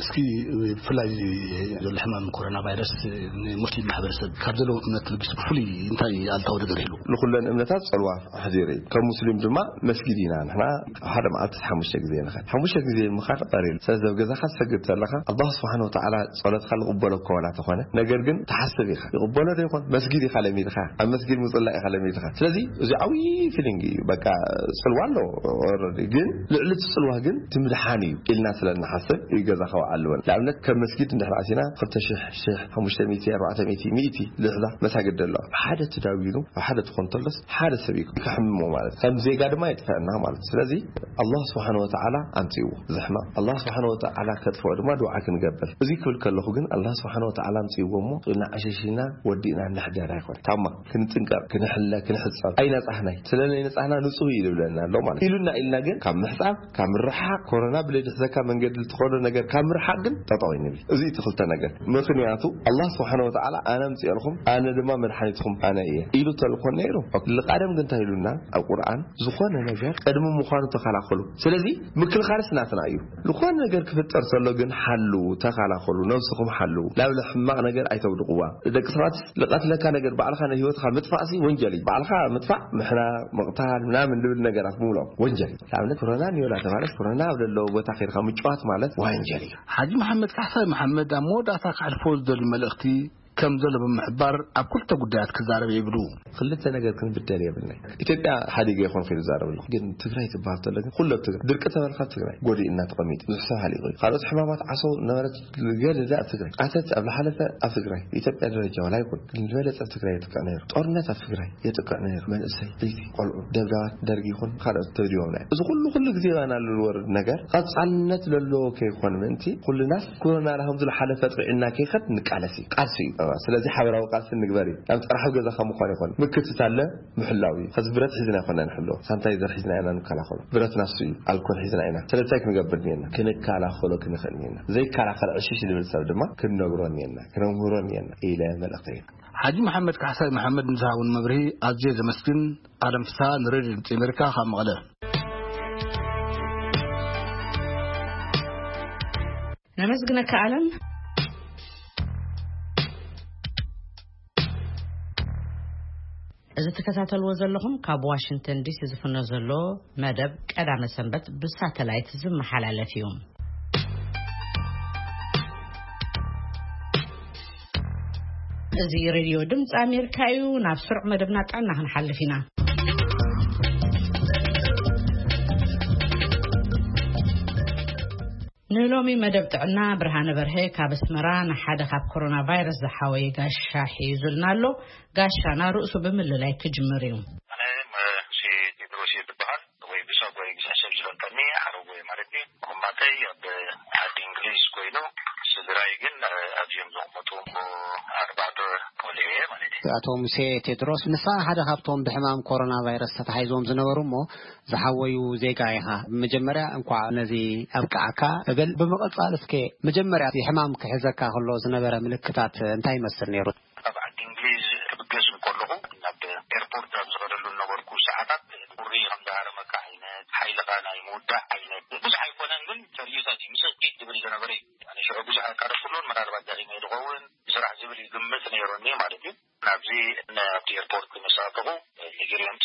እስኪ ብፍላይ ዘሎ ሕማም ኮሮና ቫይረስ ንሙስሊም ማሕበረሰብ ካብ ዘለዎ እምነት ተበጊሱ ብፍሉይ እንታይ ኣልታዊ ነገር ይህሉ? ንኩለን እምነታት ፀልዋ ኣሕዲሩ እዩ። ከም ሙስሊም ድማ መስጊድ ኢና ንሕና ሓደ መዓልቲ ሓሙሽተ ግዜ ንኸድ። ሓሙሽተ ግዜ ምኻድ ቀሪል። ስለዚ ኣብ ገዛኻ ትሰግድ ዘለኻ ኣላህ ስብሓን ወተዓላ ጸሎትካ ዝቕበሎ እኮ ዋላ ተኾነ፣ ነገር ግን ትሓስብ ኢኻ። ይቕበሎ ዶ ይኾን? መስጊድ ኢኻ ለሚድኻ። ኣብ መስጊድ ምጽላእ ኢኻ ለሚድኻ። ስለዚ እዚ ዓብዪ ፊሊንግ እዩ። በቃ ጽልዋ ኣሎ ኦረዲ። ግን ልዕሊ እቲ ጽልዋ ግን እቲ ምድሓን እዩ ኢልና ስለ እንሓስብ እዩ ገዛኻ ውዓል ንበል። ንኣብነት ከም መስጊድ እንድሕር ኣቲና ክልተ ሽሕ፣ ሽሕ፣ ሓሙሽተ ሚእቲ፣ ኣርባዕተ ሚእቲ፣ ሚእቲ ልሕዛ መሳግድ ኣሎ። ሓደ ተዳዊኑ ኣብ ሓደ ትኾን ተሎስ ሓደ ሰብ እዩ ከሕምሞ ማለት። ከም ዜጋ ድማ የጥፈአና ማለት። ስለዚ ኣላህ ስብሓን ወተዓላ ኣምፅእዎ እዚ ሕማም። ኣላህ ስብሓን ወተዓላ ከጥፍኦ ድማ ድዓ ክንገብር። እዚ ክብል ከለኹ ግን ኣላህ ስብሓን ወተዓላ ኣምፅእዎ እሞ ንዓሸሽና ወዲእና ንሕደር ኣይኮን። ታማ ክንጥንቀቕ፣ ክንሕለ፣ ክንሕፀብ ኣይነፃህናይ። ስለ ናይ ነፃህና ንፁህ እዩ ዝብለና ኣሎ ማለት። ኢሉና ኢልና ግን ካብ ምሕፃብ፣ ካብ ምርሓቕ፣ ኮሮና ብለይ ድሕዘካ መንገዲ ልትኸዶ ነገር ካብ ምርሓቕ ግን ጠጠው ይንብል። እዚ እቲ ክልተ ነገር። ምኽንያቱ ኣላህ ስብሓን ወተዓላ ኣነ ኣምፅኤልኩም፣ ኣነ ድማ መድሓኒትኩም ኣነ እየ ኢሉ ተልኮን ነይሩ። ልቃደም ግን እንታይ ኢሉና ኣብ ቁርኣን? ዝኾነ ነገር ቅድሚ ምዃኑ ተኸላኸሉ። ስለዚ ምክልኻልስ ናትና እዩ። ዝኾነ ነገር ክፍጠር ተሎ ግን ሓልዉ፣ ተኸላኸሉ፣ ነብስኹም ሓልዉ። ናብ ሕማቕ ነገር ኣይተውድቕዋ። ደቂ ሰባት ልቐትለካ ነገር ባዕልኻ ንህይወትካ ምጥፋእሲ ወንጀል እዩ። ባዕልኻ ምጥፋእ፣ ምሕና፣ ምቕታል፣ ምናምን ልብል ነገራት ምብሎም ወንጀል እዩ። ንኣብነት ኮሮና እኒኦ እናተባህለስ ኮሮና ኣብ ዘለዎ ቦታ ከይድካ ምጭዋት ማለት ወንጀል እዩ። ሓጂ መሓመድ ካሕሳይ መሓመድ ኣብ መወዳእታ ከሕልፎ ዝደሊ መልእኽቲ ከም ዘሎ ብምሕባር ኣብ ክልተ ጉዳያት ክዛረብ ይብሉ። ክልተ ነገር ክንብደል የብልናይ። ኢትዮጵያ ሓዲገ ይኾን ክኢሉ ዛረብ ኣለኹ። ግን ትግራይ ትበሃል ተሎ ግን ኩሎ ትግራይ ድርቂ ተበልካ ትግራይ ጎዲእና ተቐሚጡ ብዙሕ ሰብ ሃሊቑ እዩ። ካልኦት ሕማማት ዓሶ ነበረት ገለ ኣብ ትግራይ ኣተት ኣብ ዝሓለፈ ኣብ ትግራይ ኢትዮጵያ ደረጃ ዋላ ይኹን ግን ዝበለጸ ኣብ ትግራይ የጥቅዕ ነይሩ። ጦርነት ኣብ ትግራይ የጥቅዕ ነይሩ። መንእሰይ፣ ብይቲ፣ ቆልዑ፣ ደብዳባት ደርጊ ይኹን ካልኦት ተብዲዎም ናይ እዚ ኩሉ ኩሉ ግዜ ባና ልወርድ ነገር ቀጻልነት ለለዎ ከይኮን ምእንቲ ኩልናስ ኮሮና ናኸም ዝለሓለፈ ጥዕና ከይኸድ ንቃለስ እዩ። ቃልሲ እዩ። ስለዚ ሓበራዊ ቃልሲ ንግበር እዩ። ናብ ጥራሕ ገዛኻ ምኳን ይኾን ምክትታለ ምሕላው እዩ። ከዚ ብረት ሒዝና ይኮና ንሕሎ። ሳንታይዘር ሒዝና ኢና ንከላኸሉ። ብረት ናሱ እዩ። ኣልኮል ሒዝና ኢና። ስለታይ ክንገብር እኒና? ክንከላኸሎ ክንኽእል እኒና። ዘይከላኸል ዕሽሽ ዝብል ሰብ ድማ ክንነግሮ እኒና። ክነምህሮ እኒና። ኢለ መልእኽተይ። ሓጂ መሓመድ ካሕሳይ መሓመድ ንዝሃቡን መብርሂ ኣዝየ ዘመስግን። ኣለም ፍስሃ ንሬድዮ ድምፂ ኣሜሪካ ካብ መቐለ። ነመስግነካ ኣለም። እዚ ትከታተልዎ ዘለኹም ካብ ዋሽንግተን ዲሲ ዝፍኖ ዘሎ መደብ ቀዳመ ሰንበት ብሳተላይት ዝመሓላለፍ እዩ። እዚ ሬድዮ ድምፂ ኣሜሪካ እዩ። ናብ ስሩዕ መደብና ጥዕና ክንሓልፍ ኢና። ንሎሚ መደብ ጥዕና ብርሃነ በርሀ ካብ ኣስመራ ንሓደ ካብ ኮሮና ቫይረስ ዝሓወየ ጋሻ ሒዙልና ኣሎ። ጋሻና ርእሱ ብምልላይ ክጅምር እዩ። ኣነ መሲ ቴድሮስ እየ ዝበሃል። ወይ ብሳጓይ ብዙሕ ሰብ ዝፈልጠኒ ሓረጎ ማለት እዩ። ኮማተይ ኣብ ዓዲ እንግሊዝ ኮይኑ፣ ስድራይ ግን ኣዝዮም ዝቕመጡ ኣርባዕተ ቆልዑ እየ ማለት እዩ። ኣቶ ሙሴ ቴድሮስ፣ ንስኻ ሓደ ካብቶም ብሕማም ኮሮና ቫይረስ ተታሒዞም ዝነበሩ እሞ ዝሓወዩ ዜጋ ኢኻ። መጀመርያ እንኳዕ ነዚ ኣብቅዓካ እብል። ብምቕጻል እስከ መጀመርያ እዚ ሕማም ክሕዘካ ከሎ ዝነበረ ምልክታት እንታይ ይመስል ነይሩ? ኣብ ዓዲ እንግሊዝ ክብገስ እንከለኹ ናብ ኤርፖርት ኣብ ዝኸደሉ ዝነበርኩ ሰዓታት ቁሪ ከም ዝሃረመካ ዓይነት፣ ሓይልኻ ናይ ምውዳእ ዓይነት ብዙሕ ኣይኮነን፣ ግን ፈርዩታት እዩ። ምስ እኪት ዝብል ዝነበረ እዩ። ኣነ ሽዑ ብዙሕ ኣይቀረብኩሉን፣ ምናልባት ደኺመ ዝኸውን ብስራሕ ዝብል ይግምት ነይሩኒ ማለት እዩ። ናብዚ ን-፣ ኣብቲ ኤርፖርት ምስ ኣተኹ፣ ሚግሬንት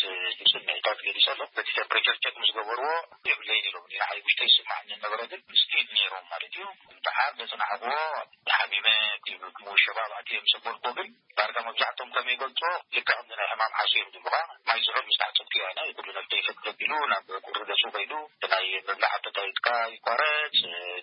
ስምዒታት ገሊጸ ኣሎ። በቲ ቴምፕሬቸር ቸክ ምስ ገበርዎ፣ የብለይን ኢሎም። ንዓይ ውሽጠይ ይስምዓኒ ነበረ፣ ግን ስቲል ነይሮም ማለት እዩ። ደሓር ዘጽናሕክዎ፣ ሓሚመ፣ እቲ ምውሸባብ ኣትየ ምስ ኣበልክዎ ግን፣ ዳርጋ መብዛሕትኦም ከም ይገልጾ፣ ልክዕ ከምዚ ናይ ሕማም ዓሶ እዮም ዝብሉኻ። ማይ ዝሑል ምስ ተሓጸብኩ እያ፣ ናይ ኩሉ ነብሰይ ፍት ዘቢሉ፣ ናብ ቁሪ ገጹ ከይዱ፣ እቲ ናይ ምብላዕ ኣፐታይትካ ይቋረጽ፣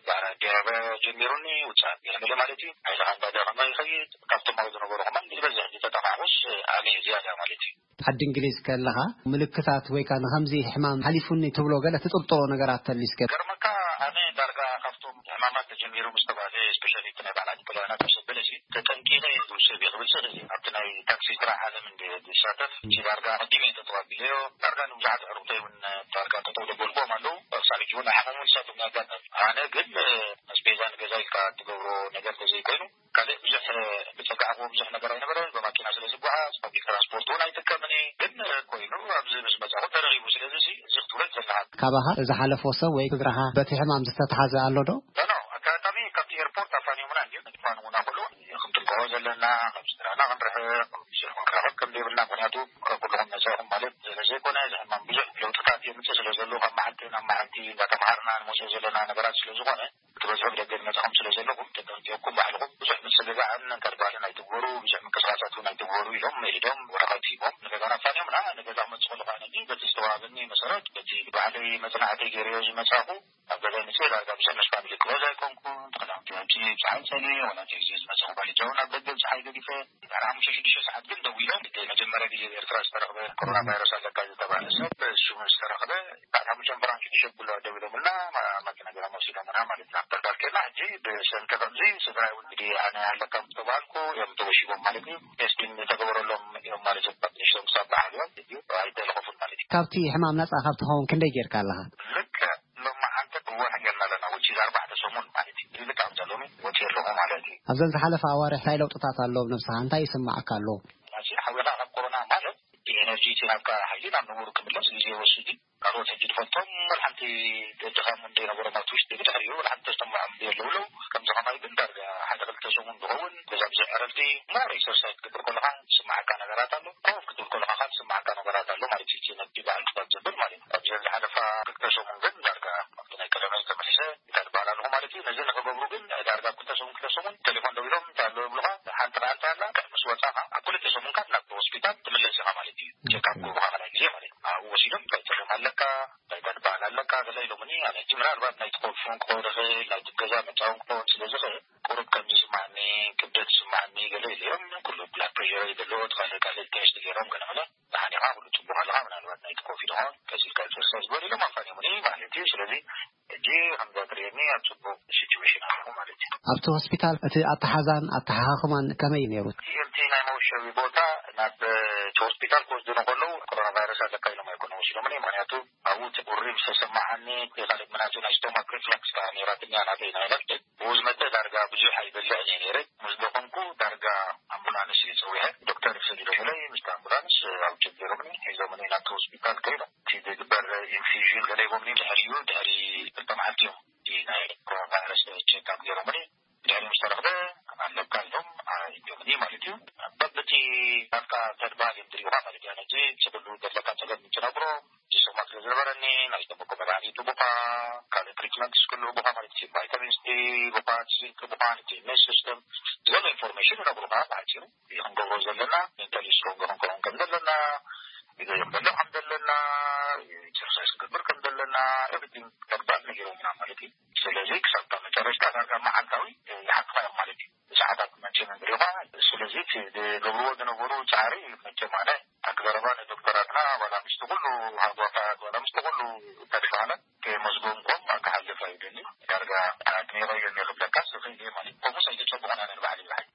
ዳራ ዲያበ ጀሚሩኒ፣ ውጽኣት ገለ ማለት እዩ። ሓይልኻ እንዳደኸመ ይኸይድ። ካብቶም ኣብኡ ዝነበሩ ከማን ዝበዝሕ ዝተጠቓዕኹስ ኣነ እየ ዝያዳ ማለት እዩ። ዓዲ እንግሊዝ ከለኻ ምልክታት ወይ ከኣ ንኸምዚ ሕማም ሓሊፉኒ ትብሎ ገለ ትጥርጥሮ ነገራት ተሊስከ? ገርመካ ኣነ ዳርጋ ካብቶም ሕማማት ተጀሚሩ ምስ ተባለ፣ ስፔሻሊ እቲ ናይ በዓላት ኮሎና ተሰበለ ሲ ተጠንቂቐ እየ ዝውሰድ እየ ክብል ሰለ እዚ ኣብቲ ናይ ታክሲ ስራሕ ዓለም እንደ ዝሳተፍ፣ እዚ ዳርጋ ቀዲመ እየ ተጠዋቢለዮ። ዳርጋ ንብዙሓት ኣዕሩኽተይ እውን ዳርጋ ጠጠው ዘበልዎም ኣለዉ። ሳልጅ እውን ሓመሙ ንሳቶም ያጋጠም። ኣነ ግን ኣስቤዛ ንገዛ ኢልካ ትገብሮ ነገር ተዘይኮይኑ፣ ካልእ ብዙሕ ብጸጋዕክዎ ብዙሕ ነገር ኣይነበረን። ብማኪና ስለ ዝጓዓዝ ፓብሊክ ትራንስፖርት እውን ኣይጥቀምን እየ። ግን ኮይኑ ኣብዚ ምስ መጻኹ ተረኺቡ። ስለዚ እዚ ክትብሎ ዘለካ ካባኻ ዝሓለፎ ሰብ ወይ ስድራኻ በቲ ሕማም ዝተትሓዘ ኣሎ ዶ? ኖ፣ ኖ፣ ኣጋጣሚ ካብቲ ኤርፖርት ኣፋንዮምና እንድዮም። ንፋንውና ኩሉ ክንጥንቀቖ ዘለና፣ ካብ ስድራና ክንርሕቕ፣ ብዙሕ ክንራኸብ ከም ዘይብልና፣ ምኽንያቱ ካብ ኩልኹም ነጻ ኢኹም ማለት ስለ ዘይኮነ፣ እዚ ሕማም ብዙሕ ለውጥታት የምጽእ ስለ ዘሎ፣ ካብ መዓልቲ ናብ መዓልቲ እንዳተምሃርና ንመጽኦ ዘለና ነገራት ስለ ዝኾነ፣ ክትበዝሑ ብደገ ዝመጻኹም ስለ ዘለኹም፣ ተጠንቂቕኩም ባዕልኹም ብዙሕ ምጽግጋዕን ከድባልን ኣይትግበሩ፣ ብዙሕ ምንቅስቓሳት እውን ኣይትግበሩ ኢሎም መኢዶም ወረቐት ሂቦም ንገዛና ኣፋንዮምና። ንገዛ ክመጽእ ከለኹ ኣነ ግን በቲ ዝተዋሃበኒ መሰረት፣ በቲ ባዕለይ መጽናዕተይ ገይረዮ ዝመጻኹ፣ ኣብ ገዛይ መጽእ ዳርጋ ብዙሕ ምስ ፋሚሊ ክበዝ ኣይኮንኩን። ተኸዳውንቲ ኣብቲ ጸሓይ ጸሊኤ፣ ዋላ እቲ ግዜ ዝመጸኹ ባልጃ እውን ኣብ ደገ ጸሓይ ገዲፈ። ድሕሪ ሓሙሽተ ሽዱሽተ ሰዓት ግን ደዊሎም፣ እቲ መጀመርያ ግዜ ኣብ ኤርትራ ዝተረኽበ ኮሮና ቫይረስ ኣለካ ዝተባህለ ሰብ ሽሙ ዝተረኽበ፣ ድሕሪ ሓሙሽተ እምበራን ሽዱሽተ ኩሉ ደዊሎምልና፣ ማ-፣ ማኪና ገይሮም ወሲዶምና ማለት ኢና። ኣብ ተርጋል ኬና ሕጂ ብሰንኪ ከምዚ ስድራይ እውን እንግዲህ ኣነ ኣለካ ምስ ተባህልኩ እዮም ተወሺቦም ማለት እዩ። ቴስቲንግ ዝተገበረሎም እዮም ማለት እዩ። ካብ ንእሽቶም ክሳብ በዓል እዮም። ሕጂ ኣይተለኸፉን ማለት እዩ። ካብቲ ሕማም ነጻ ካብ ትኸውን ክንደይ ጌርካ ኣለኻ? ልክዕ ሎሚ ሓንቲ ክወሕ ጌርና ኣለና፣ which is ኣርባዕተ ሰሙን ማለት እዩ። እዚ ልክዕ ኣብዛ ሎሚ ወፂአ ኣለኹ ማለት እዩ። ኣብዘን ዝሓለፋ ኣዋርሕ እንታይ ለውጥታት ኣሎ ኣብ ነብስኻ? እንታይ ይስምዓካ ኣሎ? ሕጂ ሓዊኻ ካብ ኮሮና ማለት እቲ ኤነርጂ እቲ ናብካ ሓይሊ ናብ ንቡር ክምለስ ግዜ ይወስድ እዩ። ካልኦት ሕጂ ትፈልጦም ወላ ሓንቲ ድኻም ዘይነበሮም ኣብቲ ውሽጢ ብድሕሪኡ ወላ ሓንቲ ተስተምዖም የለውለው። ከምዚ ከማይ ግን ዳርጋ ሓደ ክልተ ሰሙን ዝኸውን ገዛ ብዙሕ ዕረፍቲ፣ ሞር ኤክሰርሳይዝ ክትገብር ከለኻ ዝስምዓካ ነገራት ኣሎ። ኮፍ ክትብል ከለኻ ከዓ ዝስምዓካ ነገራት ኣሎ ማለት እዩ። እቲ ነቲ በዓል ክሳብ ዘብል ማለት እዩ። ኣብዚ ዝሓለፋ ክልተ ሰሙን ግን ዳርጋ ኣብቲ ናይ ቀደመይ ተመሊሰ እንታይ ዝበሃል ኣለኹ ማለት እዩ። ነዚ ንኽገብሩ ግን ዳርጋ ኣብ ክልተ ሰሙን፣ ክልተ ሰሙን ቴሌፎን ደዊሎም እንታይ ኣሎ ይብሉኻ፣ ሓንቲ ከኣ እንታይ ኣላ፣ ምስ ወጻኻ ኣብ ክልተ ሰሙን ካብ ናብ ሆስፒታል ትምለስ ኢኻ ማለት እዩ። ቸክኣፕ ክገብሩኻ ካልኣይ ግዜ ማለት እዩ። ኣብኡ ወሲዶም እንታይ ጸገም ኣለካ፣ እንታይ ተድበሃል ኣለካ፣ ገለ ኢሎምኒ። ኣነ ሕጂ ምናልባት ናይ ትኮፍን ክኸውን ይኽእል፣ ናይ ገዛ መጻውን ክኸውን ስለ ዝኽእል፣ ቁሩብ ከም ዝስማዓኒ፣ ክብደት ዝስማዓኒ ገለ ኢሎም፣ ኩሉ ብላድ ፕሬሸረይ ዘሎ፣ እቲ ካልእ ካልእ ቴስት ገይሮም ገለ መለ፣ ደሓን ኢኻ፣ ኩሉ ጽቡቕ ኣለኻ፣ ምናልባት ናይ ትኮፊ ድኾን ቀሲልካ ኤክሰርሳይዝ ግበር ኢሎም ኣፋንዮምኒ ማለት እዩ። ስለዚ ሕጂ ከምዛ ትርእየኒ ኣብ ጽቡቕ ሲቹዌሽን ኣለኹ ማለት እዩ። ኣብቲ ሆስፒታል እቲ ኣተሓዛን ኣተሓኻኽማን ከመይ እዩ ነይሩ? እቲ፣ እቲ ናይ መወሸቢ ቦታ ናብ፣ እቲ ሆስፒታል ክወስዱኒ ከለዉ ኮሮና ቫይረስ ኣለካ ኢሎም ኣይኮነ ወሲዶምኒ። ምኽንያቱ ኣብኡ እቲ ቁሪ ምስ ተሰማዓኒ፣ እቲ ካልእ ምናቱ ናይ ስቶማክ ሪፍላክስ ከኣ ነይራትኒ እያ ናተይ ናይ ነፍሲ። ብኡ ዝመጸ ዳርጋ ብዙሕ ኣይበልዕን እየ ነይረ። ምስ ደኸምኩ ዳርጋ ኣምቡላንስ እየ ጸዊዐ። ዶክተር ሰዲዶምለይ ምስቲ ኣምቡላንስ ኣብ ጀት ገይሮምኒ ሒዞምኒ ናብቲ ሆስፒታል ከይዶም። እቲ ዝግበር ኢንፊዥን ገለ ሂቦምኒ ድሕሪኡ፣ ድሕሪ ክልተ መዓልቲ እዮም እቲ ናይ ኮሮና ቫይረስ ቸክኣፕ ገይሮምኒ። ድሕሪ ምስ ተረኽበ ኣለካ ኢሎም ኣርእዮምኒ ማለት እዩ። በብቲ ናትካ ተድባሃል እዮም ዝርእዩኻ ማለት እዩ። ነዚ ስብሉ ዘለካ ጸገም ትነግሮ፣ እዚ ስማት ስለ ዝነበረኒ፣ ናይ ዝተመኮ መድሃኒት ቡኻ፣ ካልእ ትሪትመንት ስክሉ ቡኻ ማለት እዩ። ቫይታሚንስ ዲ ቡኻ፣ ዚንክ ቡኻ፣ ነቲ ኢሚዩን ሲስተም ዘሎ ኢንፎርሜሽን ይነግሩኻ ብሓፂሩ። እዚ ክንገብሮ ዘለና፣ ሜንታሊ ስትሮንግ ክንከውን ከም ዘለና፣ ይገርም በሎ ከም ዘለና፣ ኤክሰርሳይዝ ክንገብር ከም ዘለና፣ ኤቭሪቲንግ ተግባር ነጊሮምና ማለት እዩ። ስለዚ ክሳብ መጨረሽታ ዳርጋ መዓልታዊ ይሓትኻ እዮም ማለት እዩ። ሰዓታት መቸም እንሪባ። ስለዚ እቲ ዝገብርዎ ዝነበሩ ፃዕሪ መቸም ኣነ ኣክዘረባ ንዶክተራትና ዋላ ምስቲ ኩሉ ሃጓፋት ዋላ ምስቲ ኩሉ ተድፋለ ከየመስገንኩም ክሓልፍ ኣይደሊ። ዳርጋ ኣድኒቐዮ እየ ክብለካ ስኽእል እየ ማለት እዩ። ከምኡስ ኣይተፀብቑን ኣነ ንባዕለይ ብሓቂ።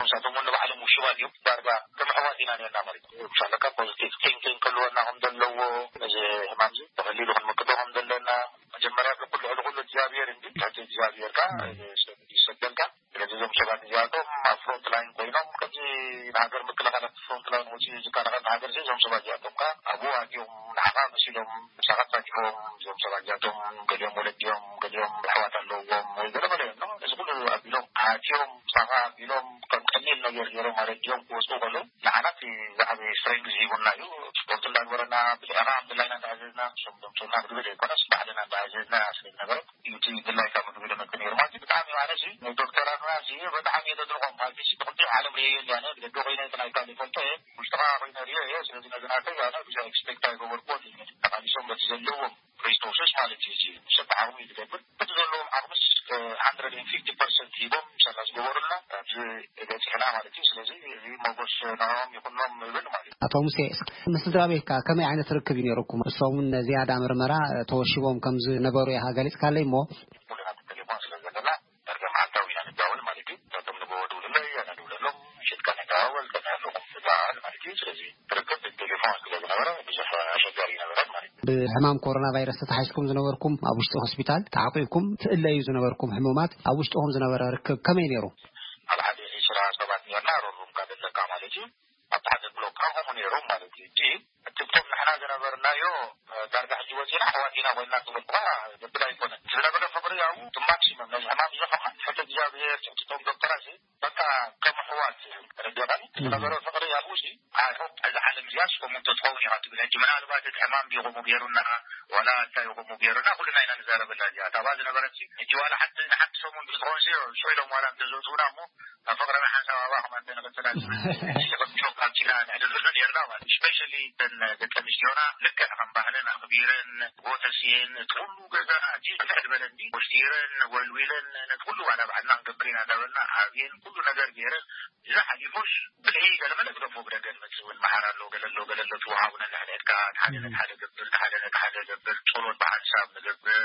ንሳቶም እውን ንባዕሎም ውሽባት እዮም። ዳርጋ ከም ኣሕዋት ኢና ነርና ማለት እዩ። ብሻለካ ፖዚቲቭ ቲንኪንግ ክህልወና ከም ዘለዎ፣ እዚ ሕማም እዚ ብቐሊሉ ክንምክቶ ከም ዘለና፣ መጀመርያ ብኩሉ ልዕሊ ኩሉ እግዚኣብሔር እንዲ፣ ትሕቲ እግዚኣብሔር ከኣ ሰብ ይሰደልካ። ስለዚ እዞም ሰባት እዚኣቶም ኣብ ፍሮንት ላይን ኮይኖም፣ ከምዚ ንሃገር ምክልኻል ኣብ ፍሮንት ላይን ወፂኡ ዝከላኸል ንሃገር እዚ እዞም ሰባት እዚኣቶም ከኣ ኣብኡ ኣትዮም ንዓኻ መሲሎም ምሳኻ ተሳቲፎም፣ እዞም ሰባት እዚኣቶም ገሊኦም ወለዲ እዮም፣ ገሊኦም ኣሕዋት ኣለዎም ወይ ገለ ገለ እዮም። እዚ ኩሉ ኣቢሎም ኣትዮም ምሳኻ ኣቢሎም ከም ቀሊል ነገር ገይሮም ኣረዲኦም ክወፅኡ ከለዉ ንዓና እቲ ዝዓበየ ስትሬንግዝ ሂቡና እዩ። ስፖርት እንዳግበረና ብልዕኻ ኣምድላይና እንዳኣዘዝና፣ እሶም ዘምፅኡና ምግቢ ዘይኮነስ ባዕልና እንዳኣዘዝና ስለዝነበረ እዩ እቲ ድላይካ ምግቢ ደመተ ነይሩ ማለት እዩ። ብጣዕሚ ማለት እዩ ንዶክተራትና እዚ በጣዕሚ እየ ዘድንቖም ማለት እዩ። እቲ ኩሉ ዓለም ርእየዮ እንዲ ኣነ ብደገ ኮይነ እቲ ናይካ ዘይፈልጦ እየ፣ ውሽጥኻ ኮይነ ርእዮ እየ። ስለዚ ነዚ ናተይ ኣነ ብዙሕ ኤክስፔክት ኣይገበርኩዎን እዩ። ተቓሊሶም በቲ ዘለዎም ሪሶርስስ ማለት እዩ። እዚ ሰብ ዓቕሚ እዩ ዝገብር። በቲ ዘለዎም ዓቕምስ ሃንድረድ ኤንድ ፊፍቲ ፐርሰንት ሂቦም ምሳና ዝገበሩልና ኣብዚ በፂሕና ማለት እዩ። ስለዚ እዚ ሞጎስ ንዕኦም ይኹኖም ይብል ማለት እዩ። ኣቶ ሙሴ፣ እስኪ ምስ ስድራ ቤትካ ከመይ ዓይነት ርክብ እዩ ነይሩኩም? እሶም እውን ዝያዳ ምርመራ ተወሺቦም ከም ዝነበሩ ኢኻ ገሊጽካለይ እሞ። ኩልና ብቴሌፎን ስለ ዘለና ዳርጋ መዓልታዊ ኢና ንዳወል ማለት እዩ። እሳቶም ንጎ ደውልለይ፣ ኣነ ደውለሎም፣ ምሸት ከ ንደዋወል፣ ከመይ ኣለኹም ንበሃል ማለት እዩ። ስለዚ ርክብ ብቴሌፎን ስለ ዝነበረ ብዙሕ ኣሸጋሪ ይነበረን ማለት እዩ። ብሕማም ኮሮና ቫይረስ ተታሒዝኩም ዝነበርኩም ኣብ ውሽጢ ሆስፒታል ተዓቂብኩም ትእለዩ ዝነበርኩም ሕሙማት ኣብ ውሽጥኹም ዝነበረ ርክብ ከመይ ነይሩ? ኣብ ሓደ ዒስራ ሰባት ነርና፣ ሮሩም ካደለካ ማለት እዩ። ኣብቲ ሓደ ብሎክ ከምኡ ነይሮም ማለት እዩ። እቲ ትብቶም ንሕና ዝነበርናዮ ዳርጋ ሕጂ ወፂና ኣሕዋት ኢና ኮይንና ክብል እኳ ዘብል ኣይኮነን። ዝነበረ ፍቕሪ ኣብኡ እቲ ማክሲመም ነዚ ሕማም እዚ ከማን ሕቶ እግዚኣብሔር ትሕትቶም ዶክተራት በቃ ከም ኣሕዋት ተረዲኻኒ። ዝነበረ ፍቕሪ ኣብኡ እዚ ኣይ ሆፕ እዛ ዓለም እዚኣ ስኮም እንተትኸውን ኢኻ ትብል። ሕጂ ምናልባት እቲ ሕማም ድዩ ከምኡ ገይሩና ዋላ እንታይ ከምኡ ገይሩና ኩልና ኢና ንዛረበላ እዚኣ። እታ ኣብኣ ዝነበረት ሕጂ ዋላ ሓንቲ ንሓንቲ ሰሙን ብዝኾን ሽዑ ኢሎም ዋላ እንተዘውፅኡና እሞ ኣብ ፍቕርና ሓንሳብ ኣብኣ ከማን ተንቕጽላ ዝብል ጆክ ኣብዚና ንዕልለሉ ነርና ማለት እዩ። ስፔሻሊ እተን ደቂ ኣንስትዮና ልክዕ ከም ባህለን ኣኽቢረን ጎተስየን እቲ ኩሉ ገዛ ኣትየን ልዕል በለ እንዲ ወሽቲረን ወልዊለን ነቲ ኩሉ ዋላ ባዕልና ክንገብር ኢና እንዳበልና ኣብየን ኩሉ ነገር ገይረን እዛ ሓሊፎሽ ብልሒ ገለመለ ግደፎ ብደገ ንመጽእ እውን መሓር ኣሎ ገለ ኣሎ ገለ ኣሎ ትወሃቡና ንሕነትካ ሓደ ነቲ ሓደ ገብር ሓደ ነቲ ሓደ ገብር ጸሎት ብሓንሳብ ንገብር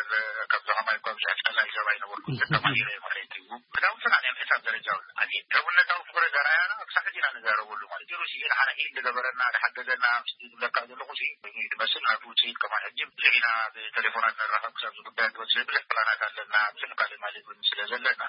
ከምዚ ከማይ እኳ ብዙሕ ጸላይ ሰብ ኣይነበርኩን ተማሂረ ማለት እዩ። ክዳውንትና ናይ ምሕሳብ ደረጃ እውን ኣትየ ሕውነታዊ ፍቕሪ ዘርኣያና ክሳዕ ሕጂ ኢና ንዛረበሉ ማለት እዩ። ሩሲ ንዓና ሂል ዝገበረና ዝሓገዘና ምስቲ ዝብለካ ዘለኹ ሲ ኮይኑ እዩ ዝመስል ናቱ ውፅኢት ከማን ሕጂ ብዙሕ ኢና ብቴሌፎናት ንራኸብ ክሳብ ዝጉዳይ ንወፅእ ብዙሕ ፕላናት ኣለና ብዙሕ ካልእ ማለት እውን ስለ ዘለና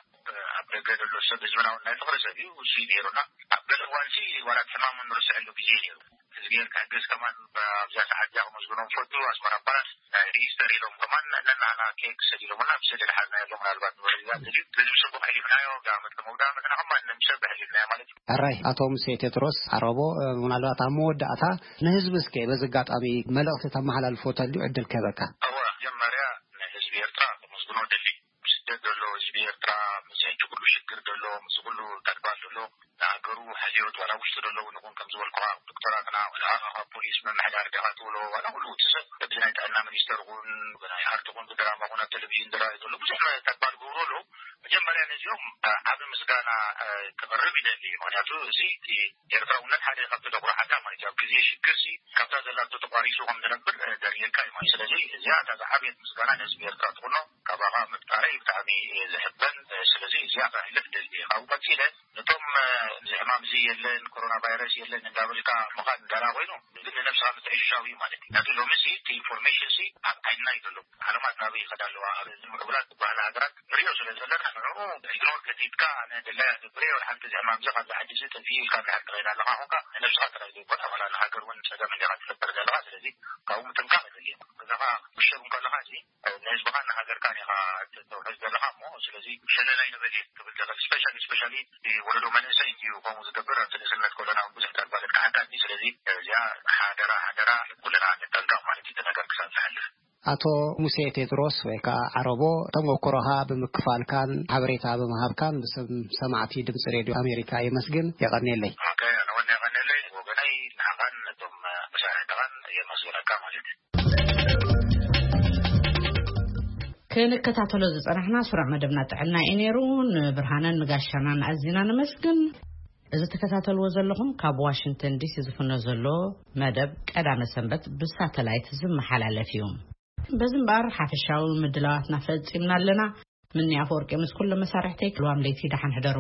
ኣብ ደገ ዘሎ ሰብ ህዝብና እውን ናይ ፍቕሪ ሰብ እዩ እሱ እዩ ነይሩና ኣብ ገለ እዋን ሲ ዋላ እቲ ሕማም ንርስዐሉ ግዜ ነይሩ ህዝቢ ኤርትራ ግስ ከማን ኣብዛ ሰዓት እዚኣ ክመስግኖም ፈቱ ኣስመራ ፓላስ ናይ ኢስተር ኢሎም ከማን ነናና ኬክ ሰዲሎምና ብስእሊ ዝሓዝናዮ ኣሎ ምናልባት ንወረዳ ተድዩ በዚ ብስቡቕ ሕሊፍናዮ ብዓመት ከመውዳ መትና ከማን ንምሰብ ሕሊፍናዮ ማለት እዩ። ሕራይ ኣቶ ሙሴ ቴድሮስ ዓረቦ ምናልባት ኣብ መወዳእታ ንህዝቢ እስከ በዚ ኣጋጣሚ መልእኽቲ ተመሓላልፎ ተልዩ ዕድል ክህበካ። እወ መጀመርያ ንህዝቢ ኤርትራ ከመስግኖ ደሊ ስደት ዘሎ ህዝቢ ኤርትራ ምስ ሕጂ ኩሉ ሽግር ዘሎ ምስ ኩሉ ተግባር ዘሎ ንሃገሩ ሕልዮት ዋላ ውሽጢ ዘለዉ ንኹን ከም ዝበልኩኻ ዶክተራትና ወላ ካብ ፖሊስ ምምሕዳር ዲኻ ትብሎ ዋላ ኩሉ እቲ ሰብ በዚ ናይ ጥዕና ሚኒስተር ኹን ብናይ ኣርቲ ኹን ብድራማ ኹን ኣብ ቴሌቪዥን ዝረኣዩ ዘሎ ብዙሕ ተግባር ዝገብሩ ኣለዉ። መጀመርያ ነዚኦም ዓቢ ምስጋና ክቕርብ ይደሊ። ምክንያቱ እዚ ኤርትራውነት ሓደ ካብቲ ተኩርዓካ ማለት እዩ። ኣብ ግዜ ሽግር ሲ ካብታ ዘላቶ ተቋሪሱ ከም ዝነብር ዘርእየካ እዩ ማለት። ስለዚ እዚኣ እታ ዝዓበየት ምስጋና ንህዝቢ ኤርትራ ትኹኖ ካባኻ ምፍጣረይ ብጣዕሚ እየ ዝሕበን። ስለዚ እዚኣ ከሕልፍ ደልየ። ካብኡ ቀፂለ ነቶም እዚ ሕማም እዚ የለን ኮሮና ቫይረስ የለን እንዳበልካ ምኻድ እንዳላ ኮይኑ ግን ንነብስኻ ምትዕሽሻው እዩ ማለት እዩ። ነቲ ሎሚ ሲ እቲ ኢንፎርሜሽን ሲ ኣብ ዓይንና እዩ ዘሎ። ዓለማት ናበይ ይኸዳ ኣለዋ ኣብ ምዕቡላት ዝበሃላ ሃገራት ንሪኦ ስለ ዘለና ንዕኡ ኢግኖር ከቲትካ ኣነ ደላይ ኣገብር እየ ወላ ሓንቲ እዚ ሕማም እዚ ካብዚ ዓዲ እዚ ጠፊኡ ኢልካ እንድሕር ትኸይድ ኣለኻ ኮንካ ንነብስኻ ጥራይ ዘይኮነ ዋላ ንሃገር እውን ፀገም እንዲኻ ትፈጥር ዘለኻ። ስለዚ ካብኡ ምጥንቃቕ የድሊ። ገዛኻ ምሸብ እንከለኻ እዚ ንህዝብኻን ንሃገርካን ኢኻ ተውሕዝ ዘለኻ እሞ ስለዚ ሸለል ኣይንበል እየ ክብል ዝኽእል። ስፔሻሊ ስፔሻሊ ወለዶ መንእሰይ እንድዩ ከምኡ ዝገብር ኣብቲ ንእስነት ከሎና እውን ብዙሕ ተግባር የጥቅዓካ እንድዩ። ስለዚ እዚኣ ሓደራ ሓደራ ኩልና ንጠንቀቕ ማለት እዩ። እቲ ነገር ክሳብ ዝሓልፍ ኣቶ ሙሴ ቴድሮስ ወይ ከዓ ዓረቦ፣ ተሞክሮኻ ብምክፋልካን ሓበሬታ ብምሃብካን ብስም ሰማዕቲ ድምፂ ሬድዮ ኣሜሪካ የመስግን። የቐንየለይ። ኦኬ፣ ኣነ እውን የቐንየለይ። ወገነይ ንዓኻን ነቶም መሳርሕትኻን የመስግነካ ማለት እዩ። ክንከታተሎ ዝጸናሕና ስሩዕ መደብና ጥዕና እዩ ነይሩ። ንብርሃንን ንጋሻናን ኣዚና ነመስግን። እዚ ትከታተልዎ ዘለኹም ካብ ዋሽንግተን ዲሲ ዝፍኖ ዘሎ መደብ ቀዳመ ሰንበት ብሳተላይት ዝመሓላለፍ እዩ። በዚ እምበኣር ሓፈሻዊ ምድላዋትና ፈጺምና ኣለና። ምኒ ኣፈወርቂ ምስ ኩሎም መሳርሕተይ ክልዋም ለይቲ ደሓን ሕደሩ።